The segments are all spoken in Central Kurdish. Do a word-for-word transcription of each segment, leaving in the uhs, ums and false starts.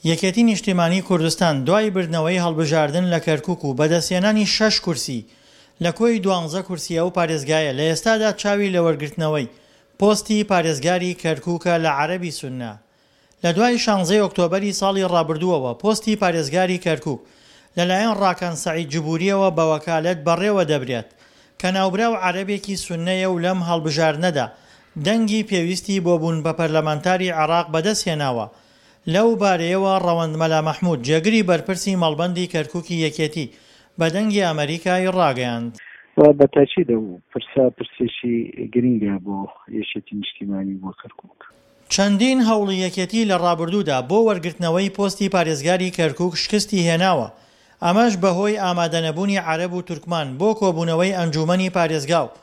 یەکێتی نیشتیمانی کوردستان دوای بردنەوەی هەڵبژاردن لە کەرکوک و بەدەستهێنانی شەش کورسی لە کۆی دوانزە کورسی ئەو پارێزگایە لە ئێستادا چاوی لە وەرگرتنەوەی پۆستی پارێزگاری کەرکوکە لە عەرەبی سوننە. لە دوای شانزەی ئۆکتۆبەری ساڵی ڕابردووەوە پۆستی پارێزگاری کەرکوک لەلایەن ڕاکان سەعید جبورییەوە بە وەکالەت بەڕێوە دەبرێت کە ناوبراو عەرەبێکی سوننەیە و لەم هەڵبژاردنەدا دەنگی پێویستی بۆ بوون بە پەرلەمانتاری عێراق بەدەستهێناوە. لەو بارەیەوە ڕەوەند مەلا مەحمود جێگری بەرپرسی مەڵبەندی کەرکوکی یەکێتی بە دەنگی ئەمەریکای ڕاگەیاند. و بە تاکید ئەو پرسە پرسێکی گرنگە بۆ یەکێتی نیشتیمانی و بۆ کەرکوک. چەندین هەوڵی یەکێتی لە ڕابردوودا بۆ وەرگرتنەوەی پۆستی پارێزگاری کەرکوک شکستی هێناوە، ئەمەش بەهۆی ئامادەنەبوونی عەرەب و تورکمان بۆ کۆبوونەوەی ئەنجوومەنی پارێزگا و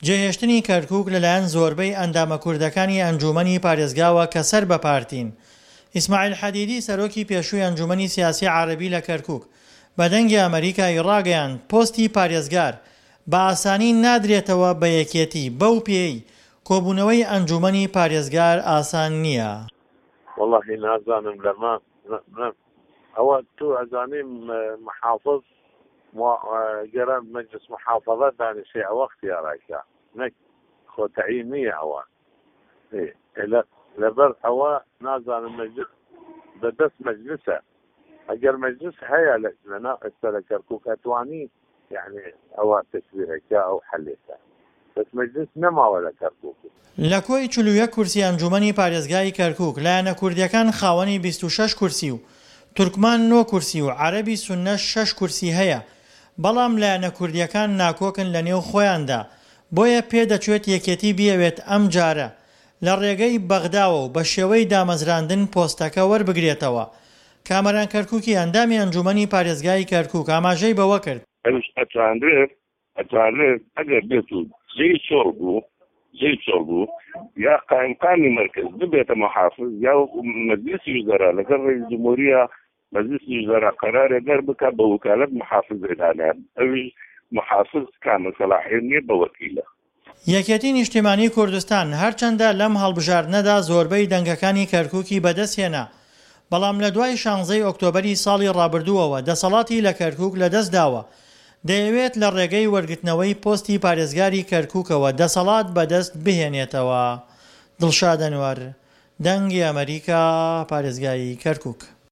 جێهێشتنی کەرکوک لەلایەن زۆربەی ئەندامە کوردەکانی ئەنجوومەنی پارێزگاوە کە سەر بە پارتین. ئیسماعیل حەدیدی سەرۆکی پێشووی ئەنجوومەنی سیاسی عەرەبی لە کەرکوک بە دەنگی ئەمەریکای ڕاگەیاند پۆستی پارێزگار بە ئاسانی نادرێتەوە بە یەکێتی بەو پێیەی کۆبوونەوەی ئەنجوومەنی پارێزگار ئاسان نییە. وەڵاهی نازانم لەمە ئەوە تو ئەزانی محافظ گەرە مجلس محافظە دانیشێ ئەوە اختیارایکە نەک خۆ تەعیین نییە ئەوە لەبەر ئەوە نازانم مجلس بەدەست مجلسە ئەگەر مجلس هەیە لەناو ئێستا لە کەرکوک ئەتوانی یعنی ئەوە تەشویرەکە ئەو حلێکە بەس مجلس نەماوە لە کەرکوک. لە کۆی چل و یەک کورسی ئەنجوومەنی پارێزگای کەرکوک، لایەنە کوردییەکان خاوەنی بیست و شەش کورسی و تورکمان نۆ کورسی و عەرەبی سوننەش شەش کورسی هەیە، بەڵام لایەنە کوردییەکان ناکۆکن لەنێو خۆیاندا، بۆیە پێدەچێت یەکێتی بیەوێت ئەمجارە لە ڕێگەی بەغداوە و بە شێوەی دامەزراندن پۆستەکە وەربگرێتەوە. کامەران کەرکوکی ئەندامی ئەنجوومەنی پارێزگای کەرکوک ئاماژەی بەوەکرد، ئەویش ئەتوانرێت ئەتوانرێت ئەگەر بێت و جێی چۆڵ بوو جێی چۆڵ بوو یا قایمقامی مەرکەز ببێتە محافظ یا مەجلسی وزەرا لەگەڵ ڕئیس جمهوریە مەجلسی وزەرا قەرارێ دەربکا بە وکالەت محافظێ دانێن ئەویش محافظ کامە سەلاحیەت نییە بە وەکیلە. یەکێتی نیشتیمانی کوردستان هەرچەندە لەم هەڵبژاردنەدا زۆربەی دەنگەکانی کەرکوکی بەدەستهێنا، بەڵام لە دوای شانزەی ئۆکتۆبەری ساڵی ڕابردووەوە دەسەڵاتی لە کەرکوک لەدەستداوە، دەیەوێت لە ڕێگەی وەرگرتنەوەی پۆستی پارێزگاری کەرکوکەوە دەسەڵات بەدەست بهێنێتەوە. دڵشاد ئەنوەر، دەنگی ئەمەریکا، پارێزگای کەرکوک.